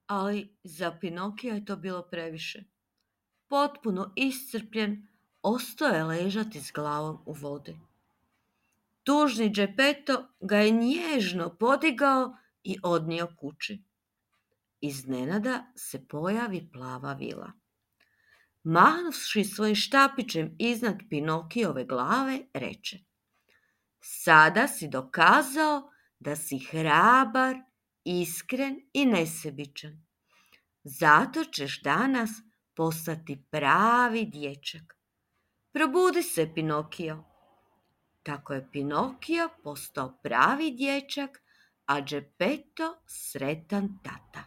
Ali za Pinokija je to bilo previše. Potpuno iscrpljen, ostao je ležati s glavom u vodi. Tužni Geppetto ga je nježno podigao i odnio kući. Iznenada se pojavi plava vila. Mahnuvši svojim štapićem iznad Pinokijove glave, reče: Sada si dokazao da si hrabar, iskren i nesebičan. Zato ćeš danas postati pravi dječak. Probudi se, Pinokio. Tako je Pinokio postao pravi dječak, a Geppetto sretan tata.